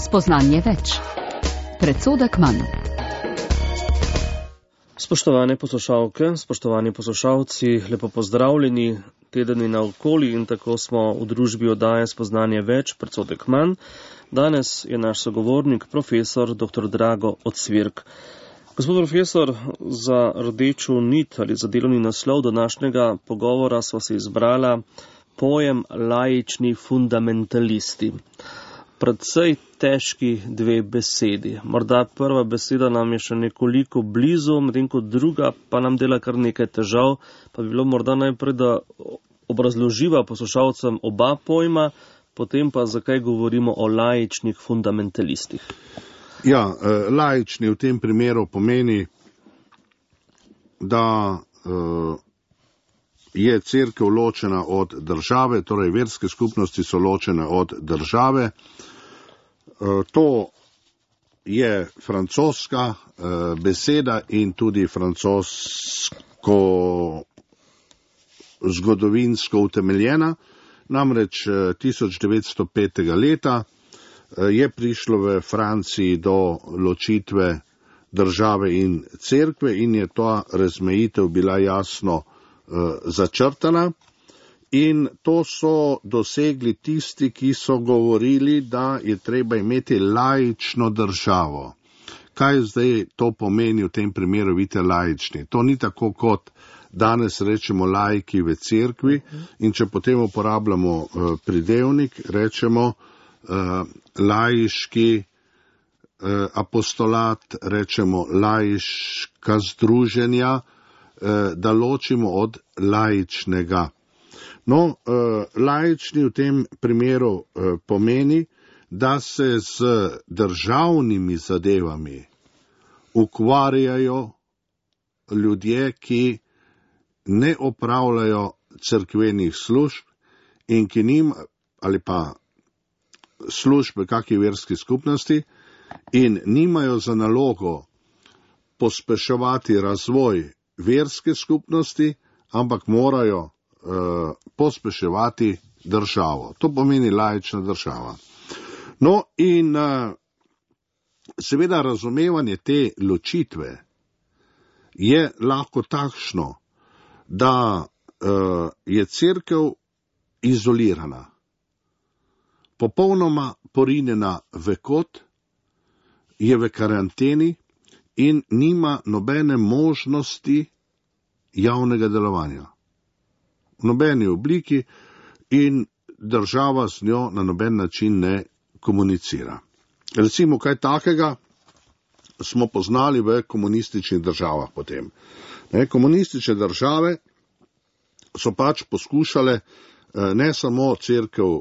Spoznanje več. Predsodek manj. Spoštovane poslušalke, spoštovani poslušalci, lepo pozdravljeni. Teden je naokoli in tako smo v družbi oddaje Spoznanje več, predsodek manj. Danes je naš sogovornik, profesor dr. Drago Ocvirk. Gospod profesor, za rdečo nit ali za delovni naslov današnjega pogovora sva se izbrala pojem laični fundamentalisti. Predvsej težki dve besedi. Morda prva beseda nam je še nekoliko blizu, medtem ko druga pa nam dela kar nekaj težav, pa bi bilo morda najprej, da obrazloživa poslušalcem oba pojma, potem pa zakaj govorimo o laičnih fundamentalistih. Ja, laični v tem primeru pomeni, da je cerkev ločena od države, torej verske skupnosti so ločene od države. To je francoska beseda in tudi francosko zgodovinsko utemeljena. Namreč 1905. leta je prišlo v Franciji do ločitve države in cerkve in je ta razmejitev bila jasno začrtana. In to so dosegli tisti, ki so govorili, da je treba imeti laično državo. Kaj zdaj to pomeni v tem primeru, vidite, laični? To ni tako, kot danes rečemo laiki v cerkvi, in če potem uporabljamo pridevnik, rečemo laiški apostolat, rečemo laiška združenja, da ločimo od laičnega. No, laični v tem primeru pomeni, da se z državnimi zadevami ukvarjajo ljudje, ki ne opravljajo cerkvenih služb in ki ali pa službe kakšni verski skupnosti in nimajo za nalogo pospeševati razvoj verske skupnosti, ampak morajo pospeševati državo. To pomeni laična država. No in seveda razumevanje te ločitve je lahko takšno, da je cerkev izolirana, popolnoma porinjena v kot, je v karanteni in nima nobene možnosti javnega delovanja. V nobeni obliki in država z njo na noben način ne komunicira. Recimo, kaj takega smo poznali v komunističnih državah potem. Komunistične države so pač poskušale ne samo cerkev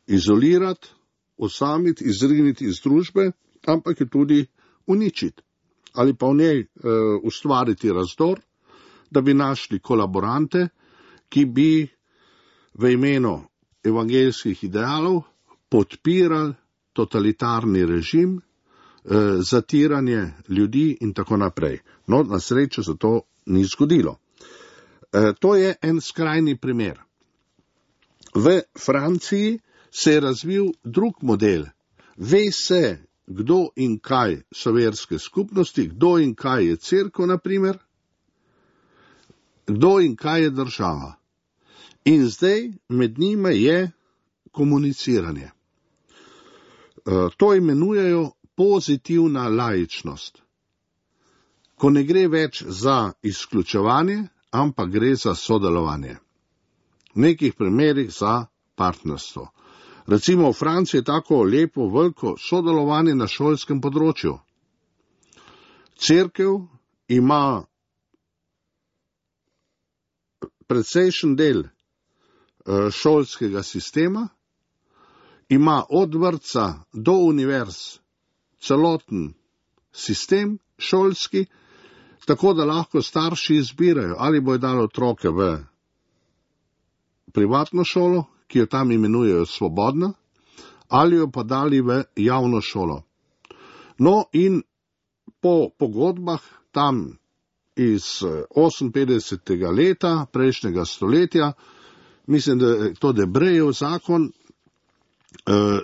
izolirati, osamiti, izriniti iz družbe, ampak jo tudi uničiti ali pa v njej ustvariti razdor, da bi našli kolaborante, ki bi v imenu evangeljskih idealov podpirali totalitarni režim, zatiranje ljudi in tako naprej. No, na srečo se to ni zgodilo. To je en skrajni primer. V Franciji se je razvil drug model. Ve se, kdo in kaj so verske skupnosti, kdo in kaj je cerkev, na primer, kdo in kaj je država. In zdaj med njima je komuniciranje. To imenujejo pozitivna laičnost, ko ne gre več za izključevanje, ampak gre za sodelovanje. V nekih primerih za partnerstvo. Recimo v Franciji je tako lepo, veliko sodelovanje na šolskem področju. Cerkev ima precejšen del šolskega sistema, ima od vrtca do univerz celoten sistem šolski, tako da lahko starši izbirajo, ali bojo dali otroke v privatno šolo, ki jo tam imenujejo svobodna, ali jo pa dali v javno šolo. No in po pogodbah tam iz 58. leta prejšnjega stoletja, mislim, da je to Debrejev zakon,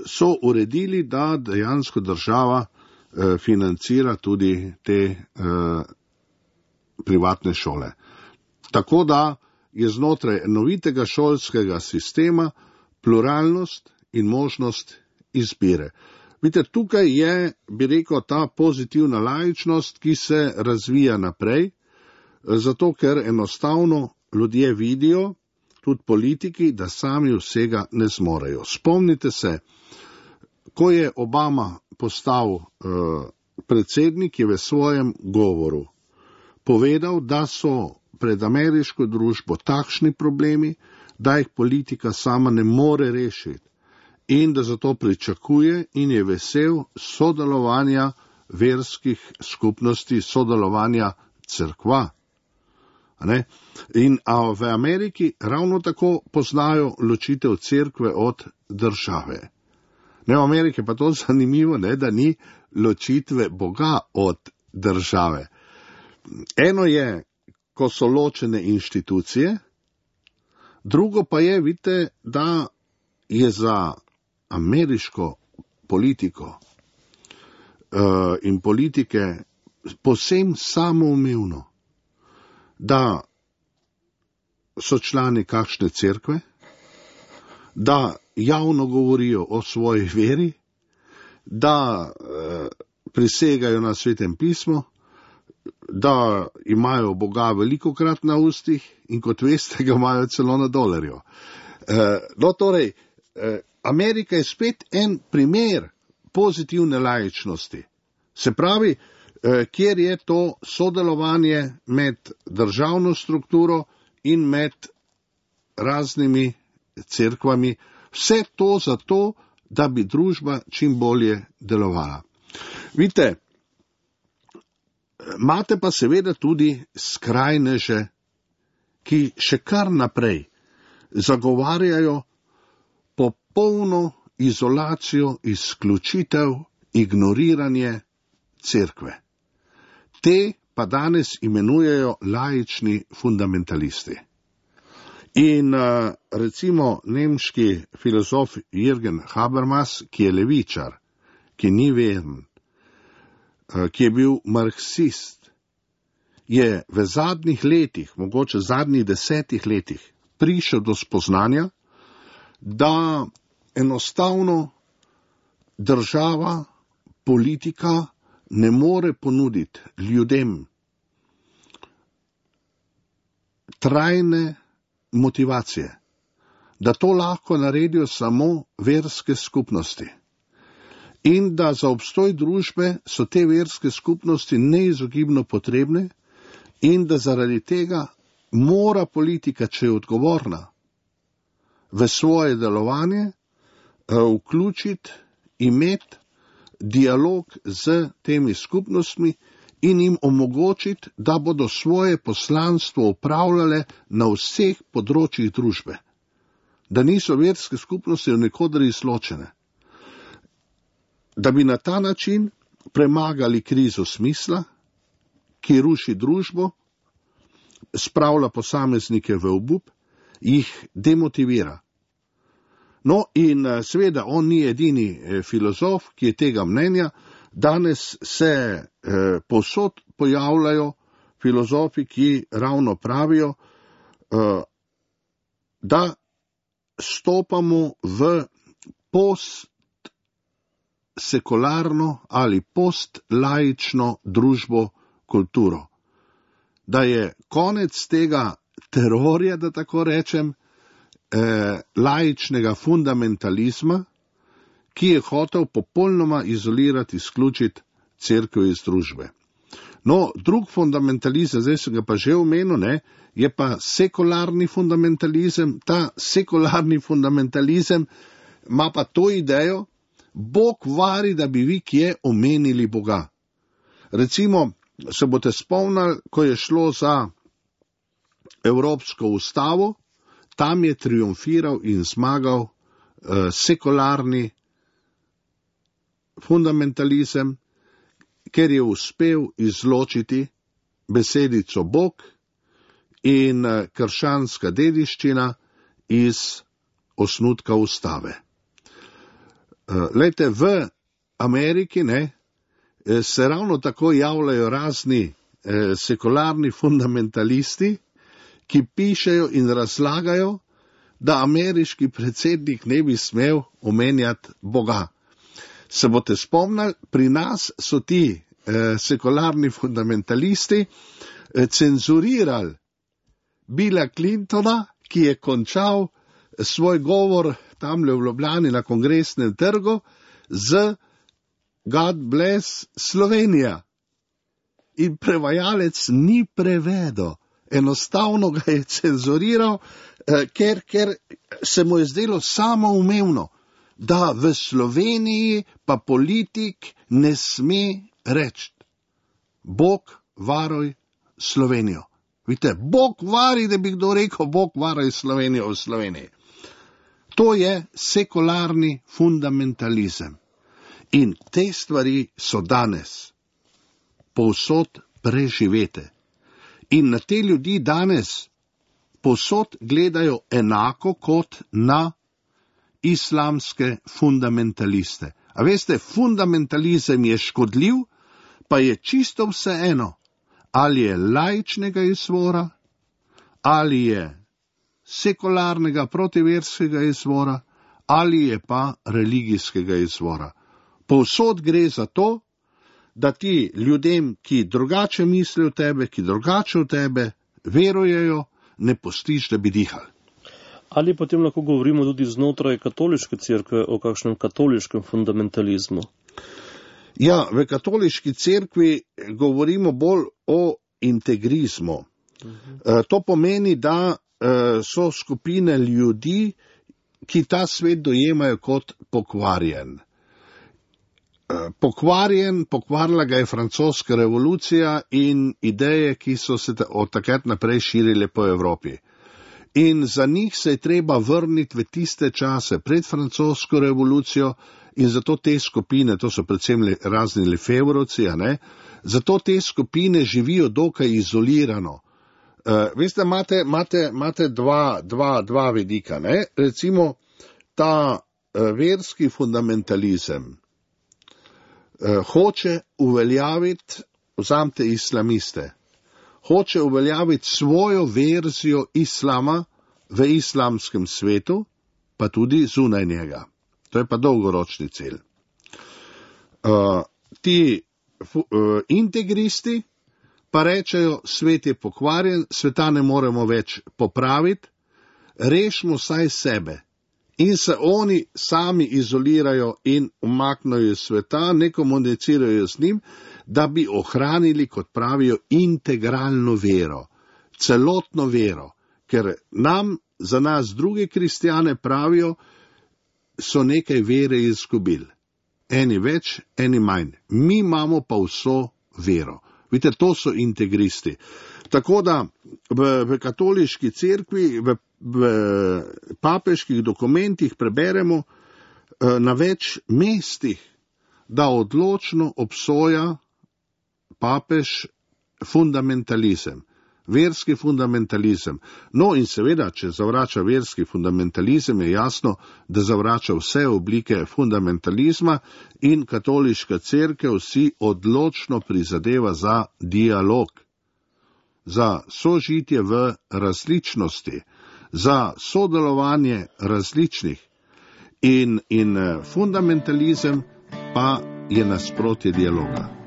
so uredili, da dejansko država financira tudi te privatne šole. Tako da je znotraj enovitega šolskega sistema pluralnost in možnost izbire. Vidite, tukaj je, bi rekel, ta pozitivna laičnost, ki se razvija naprej, zato ker enostavno ljudje vidijo, tudi politiki, da sami vsega ne zmorejo. Spomnite se, ko je Obama postal predsednik, je v svojem govoru povedal, da so pred ameriško družbo takšni problemi, da jih politika sama ne more rešiti in da zato pričakuje in je vesel sodelovanja verskih skupnosti, sodelovanja cerkva. A v Ameriki ravno tako poznajo ločitev cerkve od države. V Ameriki pa to zanimivo, da ni ločitve Boga od države. Eno je, ko so ločene inštitucije, drugo pa je, vidite, da je za ameriško politiko in politike povsem samoumevno, da so člani kakšne cerkve, da javno govorijo o svoji veri, da prisegajo na Svetem pismu, da imajo Boga velikokrat na ustih in kot veste, ga imajo celo na dolarju. Torej, Amerika je spet en primer pozitivne laičnosti. Se pravi, kjer je to sodelovanje med državno strukturo in med raznimi cerkvami, vse to zato, da bi družba čim bolje delovala. Vidite, imate pa seveda tudi skrajneže, ki še kar naprej zagovarjajo popolno izolacijo, izključitev, ignoriranje cerkve. Te pa danes imenujejo laični fundamentalisti. In recimo nemški filozof Jürgen Habermas, ki je levičar, ki ni veren, ki je bil marksist, je v zadnjih letih, mogoče zadnjih 10 letih, prišel do spoznanja, da enostavno država, politika ne more ponuditi ljudem trajne motivacije, da to lahko naredijo samo verske skupnosti. In da za obstoj družbe so te verske skupnosti neizogibno potrebne in da zaradi tega mora politika, če je odgovorna, v svoje delovanje vključiti, imeti dialog z temi skupnostmi in jim omogočiti, da bodo svoje poslanstvo upravljale na vseh področjih družbe. Da niso verske skupnosti nikoder izločene. Da bi na ta način premagali krizo smisla, ki ruši družbo, spravlja posameznike v obup, jih demotivira. No in seveda on ni edini filozof, ki je tega mnenja. Danes se povsod pojavljajo filozofi, ki ravno pravijo, da stopamo v postsekularno ali postlaično družbo, kulturo. Da je konec tega terorja, da tako rečem, laičnega fundamentalizma, ki je hotel popolnoma izolirati, izključiti cerkev iz družbe. No, drug fundamentalizem, zdaj sem ga pa že omenil, je pa sekularni fundamentalizem. Ta sekularni fundamentalizem ima pa to idejo, Bog vari, da bi vi kje omenili Boga. Recimo, se boste spomnili, ko je šlo za Evropsko ustavo, tam je triumfiral in zmagal sekularni fundamentalizem, ker je uspel izločiti besedico Bog in krščanska dediščina iz osnutka ustave. Glejte, v Ameriki se ravno tako javljajo razni sekularni fundamentalisti, ki pišejo in razlagajo, da ameriški predsednik ne bi smel omenjati Boga. Se boste spomnili, pri nas so ti sekularni fundamentalisti cenzurirali Billa Clintona, ki je končal svoj govor tamle v Ljubljani na Kongresnem trgu z God bless Slovenija. In prevajalec ni prevedel, enostavno ga je cenzuriral, ker se mu je zdelo samoumevno, da v Sloveniji pa politik ne sme reči: Bog varuj Slovenijo. Vidite, Bog vari, da bi kdo rekel: Bog varuj Slovenijo v Sloveniji. To je sekularni fundamentalizem. In te stvari so danes povsod preživete. In na te ljudi danes povsod gledajo enako kot na islamske fundamentaliste. A veste, fundamentalizem je škodljiv, pa je čisto vseeno, ali je laičnega izvora, ali je sekularnega protiverskega izvora, ali je pa religijskega izvora. Povsod gre za to, da ti ljudem, ki drugače mislijo o tebe, ki drugače o tebe verujejo, ne pustiš, da bi dihali. Ali potem lahko govorimo tudi znotraj katoliške cerkve o kakšnem katoliškem fundamentalizmu? Ja, v katoliški cerkvi govorimo bolj o integrizmu. To pomeni, da so skupine ljudi, ki ta svet dojemajo kot pokvarjen. Pokvarila ga je francoska revolucija in ideje, ki so se od takrat naprej širile po Evropi. In za njih se je treba vrniti v tiste čase pred francosko revolucijo in zato te skupine, to so predvsem razni lefevrovci, zato te skupine živijo dokaj izolirano. Veste, imate dva vidika, recimo ta verski fundamentalizem hoče uveljaviti, vzamite islamiste, hoče uveljaviti svojo verzijo islama v islamskem svetu, pa tudi zunaj njega. To je pa dolgoročni cilj. Ti integristi pa rečejo: svet je pokvarjen, sveta ne moremo več popraviti, rešimo saj sebe. In se oni sami izolirajo in umaknejo iz sveta, ne komunicirajo z njim, da bi ohranili, kot pravijo, integralno vero, celotno vero, ker za nas druge kristjane pravijo, so nekaj vere izgubili. Eni več, eni manj. Mi imamo pa vso vero. Vidite, to so integristi. Tako da v katoliški cerkvi, v papeških dokumentih preberemo na več mestih, da odločno obsoja papež fundamentalizem, verski fundamentalizem. No in seveda, če zavrača verski fundamentalizem, je jasno, da zavrača vse oblike fundamentalizma in katoliška cerkev si odločno prizadeva za dialog, za sožitje v različnosti, za sodelovanje različnih. In fundamentalizem pa je nasprotje dialoga.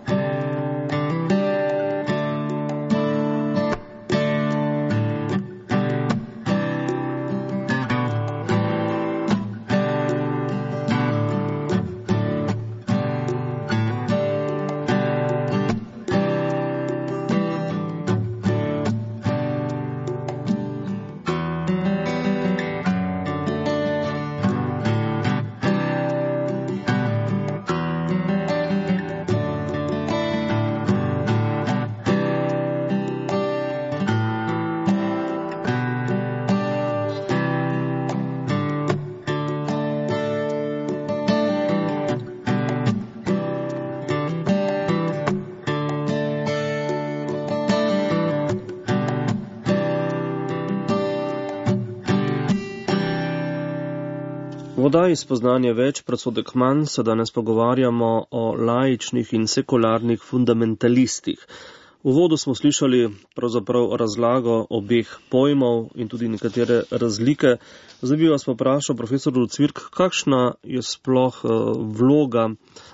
oddaji Spoznanje več, predsodek manj se danes pogovarjamo o laičnih in sekularnih fundamentalistih. V uvodu smo slišali pravzaprav razlago obeh pojmov in tudi nekatere razlike. Zdaj bi vas poprašal, profesor Lucvirk, kakšna je sploh vloga,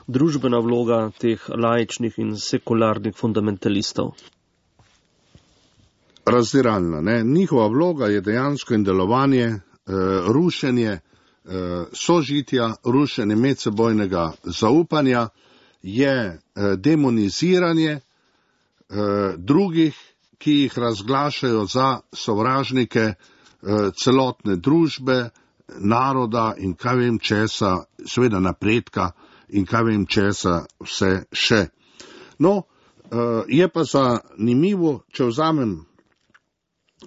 družbena vloga teh laičnih in sekularnih fundamentalistov? Razdiralna, ne? Njihova vloga je dejansko in delovanje, rušenje sožitja, rušenje medsebojnega zaupanja, je demoniziranje drugih, ki jih razglašajo za sovražnike celotne družbe, naroda in kaj vem česa, seveda napredka in kaj vem česa vse še. No, je pa zanimivo, če vzamem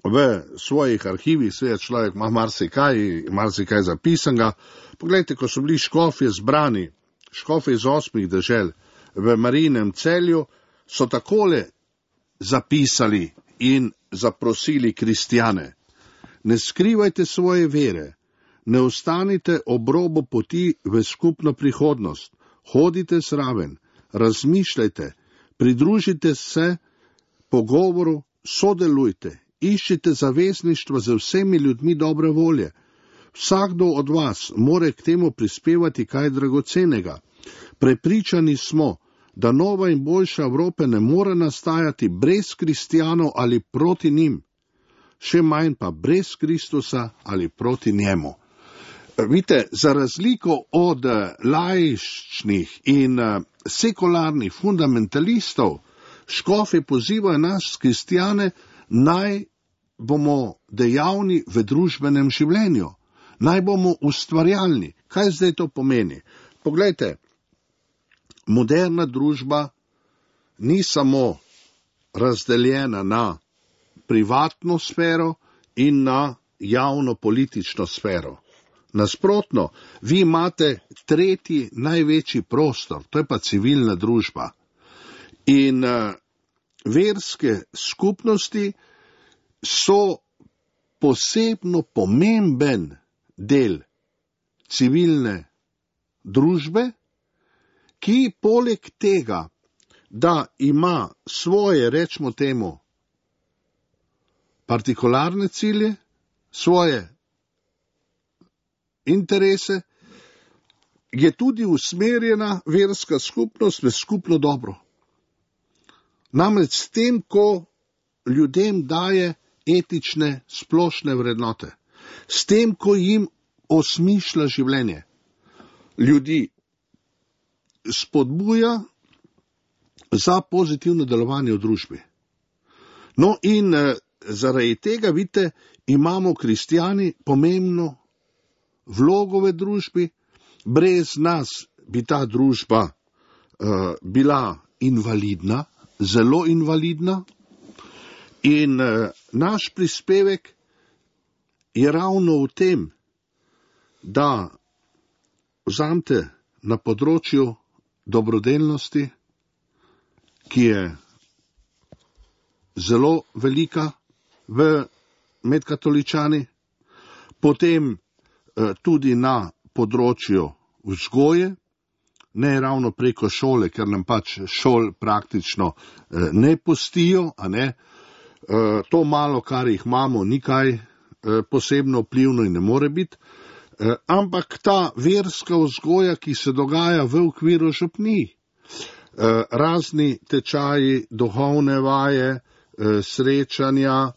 v svojih arhivih, seveda človek ima marsikaj zapisanega. Poglejte, ko so bili škofje zbrani, škofje iz 8 dežel v Marijinem Celju, so takole zapisali in zaprosili kristjane. Ne skrivajte svoje vere, ne ostanite ob robu poti v skupno prihodnost, hodite zraven, razmišljajte, pridružite se pogovoru, sodelujte, iščite zavezništva z vsemi ljudmi dobre volje. Vsakdo od vas more k temu prispevati kaj dragocenega. Prepričani smo, da nova in boljša Evropa ne more nastajati brez kristjanov ali proti njim, še manj pa brez Kristusa ali proti njemu. Vidite, za razliko od laičnih in sekularnih fundamentalistov, škofje pozivajo nas, kristjane, naj bomo dejavni v družbenem življenju, naj bomo ustvarjalni. Kaj zdaj to pomeni? Poglejte, moderna družba ni samo razdeljena na privatno sfero in na javno politično sfero. Nasprotno, vi imate tretji največji prostor, to je pa civilna družba. In verske skupnosti so posebno pomemben del civilne družbe, ki poleg tega, da ima svoje, rečemo temu, partikularne cilje, svoje interese, je tudi usmerjena verska skupnost v skupno dobro. Namreč s tem, ko ljudem daje etične splošne vrednote, s tem, ko jim osmišlja življenje, ljudi spodbuja za pozitivno delovanje v družbi. No in zaradi tega, vidite, imamo kristjani pomembno vlogo v družbi, brez nas bi ta družba bila invalidna, zelo invalidna, in naš prispevek je ravno v tem, da vzamete na področju dobrodelnosti, ki je zelo velika med katoličani, potem tudi na področju vzgoje, ne ravno preko šole, ker nam pač šol praktično ne pustijo, a ne. To malo, kar jih imamo, ni kaj posebno vplivno in ne more biti, ampak ta verska vzgoja, ki se dogaja v okviru župnij, razni tečaji, duhovne vaje, srečanja,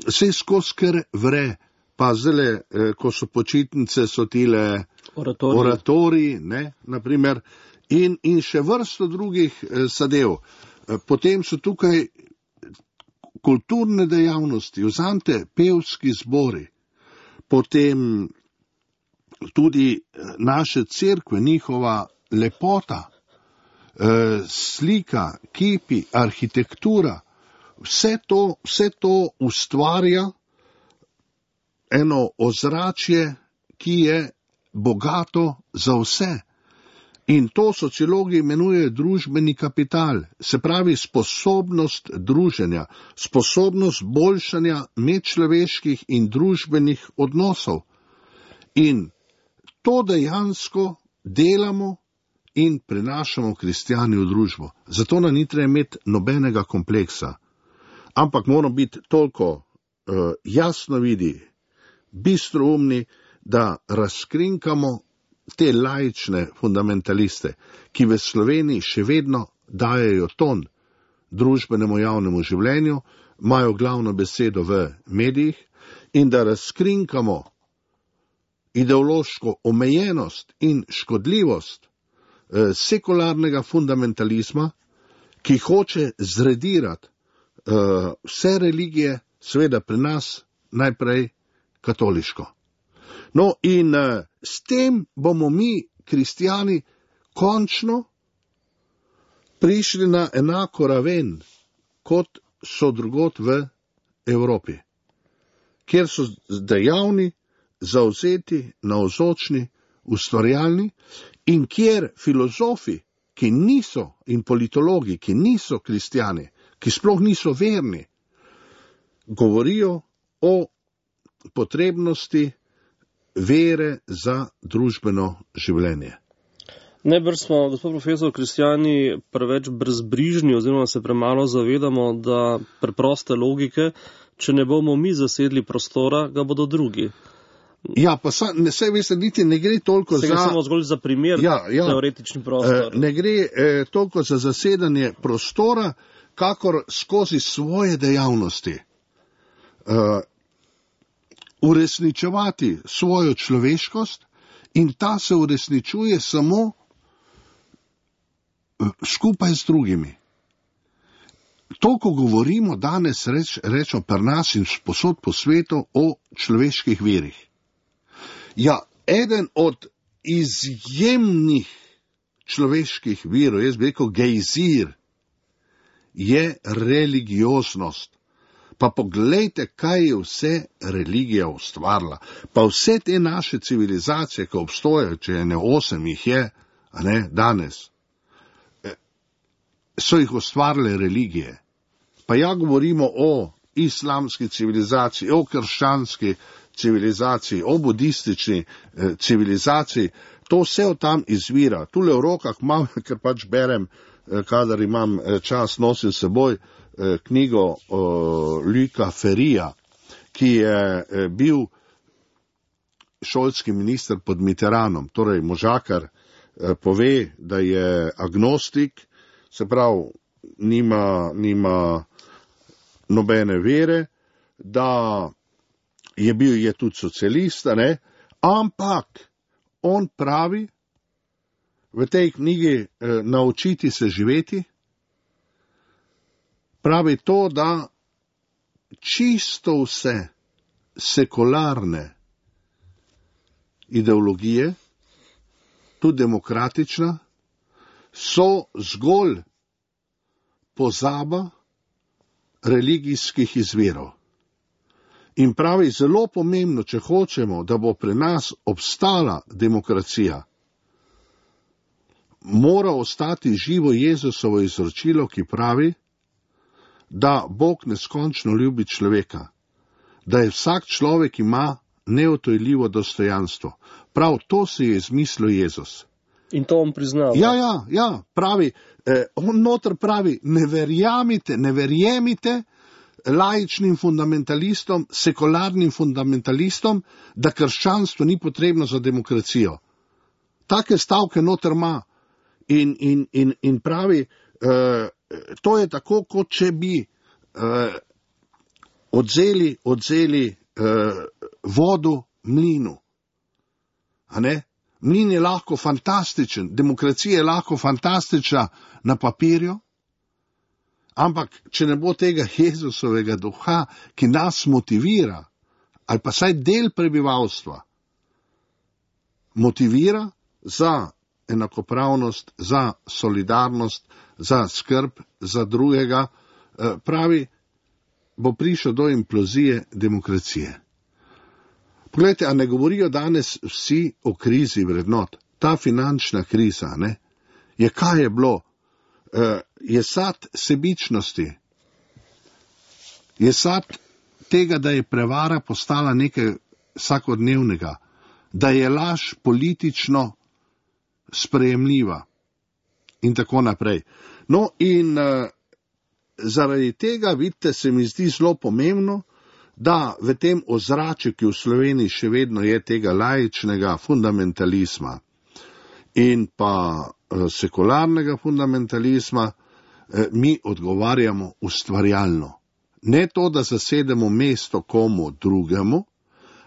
vse skozi kar vre, pa zdaj, ko so počitnice, so tile oratoriji, ne, naprimer, in še vrsto drugih zadev. Potem so tukaj kulturne dejavnosti, vzamete pevski zbori, potem tudi naše cerkve, njihova lepota, slika, kipi, arhitektura, vse to ustvarja eno ozračje, ki je bogato za vse. In to sociologi imenujejo družbeni kapital, se pravi sposobnost druženja, sposobnost boljšanja medčloveških in družbenih odnosov. In to dejansko delamo in prenašamo kristjani v družbo. Zato nam ni treba imeti nobenega kompleksa. Ampak moramo biti toliko jasno vidi, bistroumni, da razkrinkamo te laične fundamentaliste, ki v Sloveniji še vedno dajejo ton družbenemu javnemu življenju, imajo glavno besedo v medijih, in da razkrinkamo ideološko omejenost in škodljivost sekularnega fundamentalizma, ki hoče zredirati vse religije, seveda pri nas najprej katoliško. No in s tem bomo mi, kristjani, končno prišli na enako raven, kot so drugot v Evropi, kjer so dejavni, zavzeti, navzočni, ustvarjalni in kjer filozofi, ki niso, in politologi, ki niso kristjani, ki sploh niso verni, govorijo o potrebnosti vere za družbeno življenje. Najbrž smo, gospod profesor, kristjani preveč brezbrižni oziroma se premalo zavedamo, da preproste logike, če ne bomo mi zasedli prostora, ga bodo drugi. Ja, pa vse veste, niti ne gre toliko za... samo zgolj za primer, teoretični prostor. Ne gre toliko za zasedanje prostora, kakor skozi svoje dejavnosti. Uresničevati svojo človeškost in ta se uresničuje samo skupaj z drugimi. To, ko govorimo danes, rečemo pri nas in posod po svetu o človeških virih. Ja, eden od izjemnih človeških virov, jaz bi rekel gejzir, je religioznost. Pa poglejte, kaj je vse religija ustvarila. Pa vse te naše civilizacije, ki obstojajo, če ne 8 jih je, danes, so jih ustvarile religije. Pa ja govorimo o islamski civilizaciji, o krščanski civilizaciji, o budistični civilizaciji, to vse od tam izvira. Tule v rokah imam, ker pač berem, kadar imam čas, nosim seboj knjigo Luca Ferrija, ki je bil šolski minister pod Mitterrandom, torej možakar pove, da je agnostik, se pravi, nima nobene vere, da je tudi socialist, ampak on pravi v tej knjigi Naučiti se živeti, pravi to, da čisto vse sekularne ideologije, tudi demokratična, so zgolj pozaba religijskih izvirov. In pravi, zelo pomembno, če hočemo, da bo pri nas obstala demokracija, mora ostati živo Jezusovo izročilo, ki pravi, da Bog neskončno ljubi človeka, da je vsak človek ima neodtujljivo dostojanstvo. Prav to si je izmislil Jezus. In to on priznava. Ja, pravi, on noter pravi, ne verjemite laičnim fundamentalistom, sekularnim fundamentalistom, da krščanstvo ni potrebno za demokracijo. Take stavke noter ima in pravi, to je tako, kot če bi odzeli vodo mlinu. A ne? Mlin je lahko fantastičen, demokracija je lahko fantastična na papirju, ampak če ne bo tega Jezusovega duha, ki nas motivira, ali pa saj del prebivalstva, motivira za enakopravnost, za solidarnost, za skrb za drugega, pravi, bo prišel do implozije demokracije. Poglejte, a ne govorijo danes vsi o krizi vrednot? Ta finančna kriza, je kaj je bilo? Je sad sebičnosti, je sad tega, da je prevara postala nekaj vsakodnevnega, da je laž politično sprejemljiva in tako naprej. No in zaradi tega, vidite, se mi zdi zelo pomembno, da v tem ozračju, ki v Sloveniji še vedno je tega laičnega fundamentalizma in pa sekularnega fundamentalizma, mi odgovarjamo ustvarjalno. Ne to, da zasedemo mesto komu drugemu,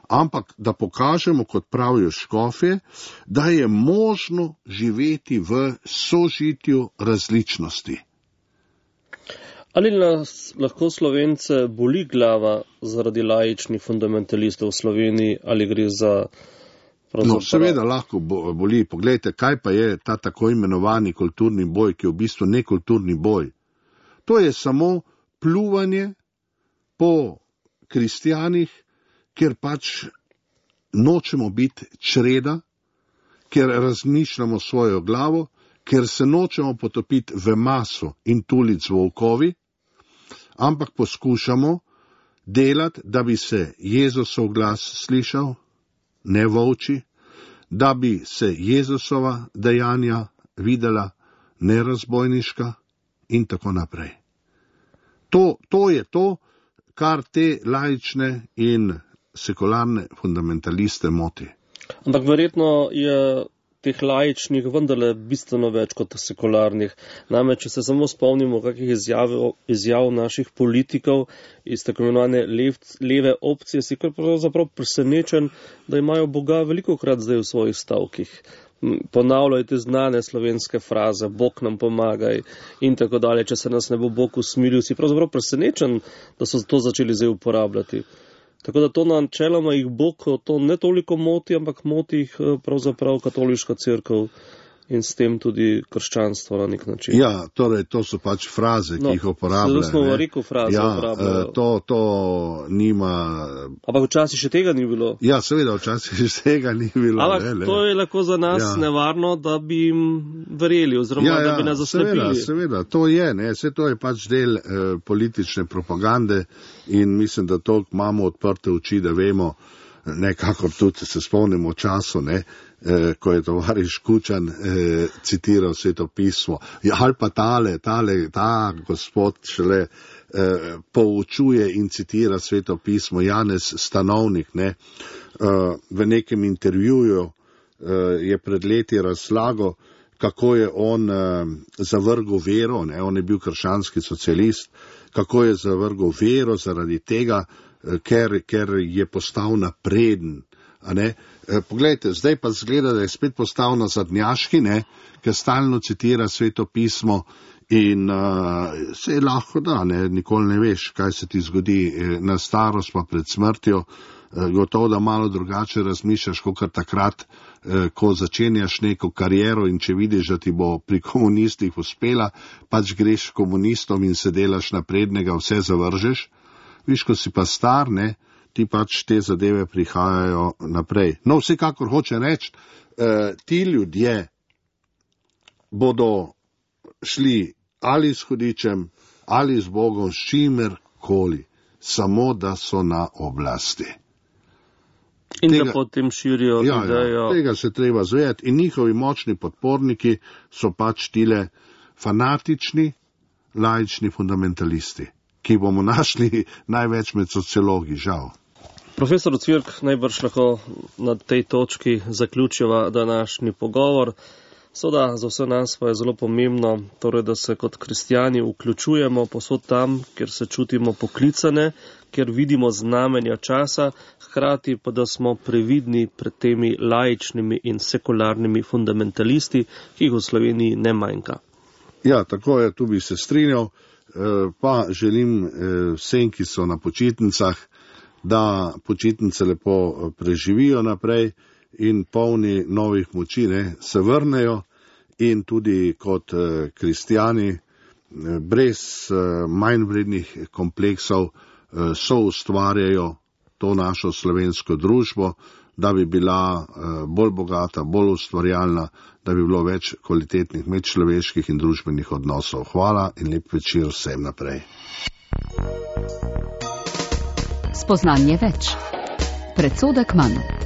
ampak da pokažemo, kot pravijo škofje, da je možno živeti v sožitju različnosti. Ali nas lahko Slovence boli glava zaradi laičnih fundamentalistov v Sloveniji, ali gre za... No, seveda lahko boli. Poglejte, kaj pa je ta tako imenovani kulturni boj, ki je v bistvu nekulturni boj. To je samo pljuvanje po kristjanih, ker pač nočemo biti čreda, ker razmišljamo svojo glavo, ker se nočemo potopiti v maso in tulic volkovi, ampak poskušamo delati, da bi se Jezusov glas slišal, ne volči, da bi se Jezusova dejanja videla, ne razbojniška in tako naprej. To je to, kar te laične in sekularne fundamentaliste moti. Ampak verjetno je teh laičnih vendarle bistveno več kot sekularnih. Namreč, če se samo spomnimo kakih izjav naših politikov iz tako imenovane leve opcije, si kar pravzaprav presenečen, da imajo Boga velikokrat zdaj v svojih stavkih. Ponavljajte znane slovenske fraze, Bog nam pomagaj in tako dalje. Če se nas ne bo Bog usmilil, si pravzaprav presenečen, da so to začeli zdaj uporabljati. Tako da to načeloma jih Bog to ne toliko moti, ampak moti jih pravzaprav katoliška cerkev in s tem tudi krščanstvo na nek način. Ja, torej to so pač fraze, ki jih uporabljajo. Zelo smo rekel fraze uporabljajo. To nima... Ampak včasih še tega ni bilo. Ja, seveda, včasih še tega ni bilo. Ampak to je lahko za nas nevarno, da bi jim verjeli, oziroma da bi nas zaslepili. Seveda, to je, vse to je pač del politične propagande in mislim, da toliko imamo odprte oči, da vemo, nekako tudi se spomnimo času, ko je tovariš Kučan citiral Sveto pismo. Ali pa ta gospod šele poučuje in citira Sveto pismo, Janez Stanovnik, v nekem intervjuju je pred leti razlagal, kako je on zavrgel vero, on je bil krščanski socialist, kako je zavrgel vero zaradi tega, ker je postal napreden. Poglejte, zdaj pa zgleda, da je spet postal nazadnjaški, ker stalno citira Sveto pismo in se je lahko da, nikoli ne veš, kaj se ti zgodi na starost pa pred smrtjo. Gotovo, da malo drugače razmišljaš, kot takrat, ko začenjaš neko kariero in če vidiš, da ti bo pri komunistih uspela, pač greš komunistom in se delaš naprednega, vse zavržeš. Viš, ko si pa star, ti pač te zadeve prihajajo naprej. No, vsekakor hoče reči, ti ljudje bodo šli ali s hudičem, ali z Bogom, s čimerkoli, samo da so na oblasti. In da potem širijo idejo. Tega se treba zavedati. In njihovi močni podporniki so pač tile fanatični, laični fundamentalisti, ki bomo našli največ med sociologi, žal. Profesor Cvirk, najbrž lahko na tej točki zaključiva današnji pogovor. Seveda za vse nas pa je zelo pomembno, torej, da se kot kristjani vključujemo posod tam, kjer se čutimo poklicane, kjer vidimo znamenja časa, hkrati pa da smo previdni pred temi laičnimi in sekularnimi fundamentalisti, ki jih v Sloveniji ne manjka. Ja, tako je, tu bi se strinjal. Pa želim vsem, ki so na počitnicah, da počitnice lepo preživijo naprej in polni novih moči, se vrnejo in tudi kot kristjani brez manjvrednih kompleksov soustvarjajo to našo slovensko družbo, da bi bila bolj bogata, bolj ustvarjalna, da bi bilo več kvalitetnih medčloveških in družbenih odnosov. Hvala in lep večer vsem naprej. Spoznanje več. Predsodek manj.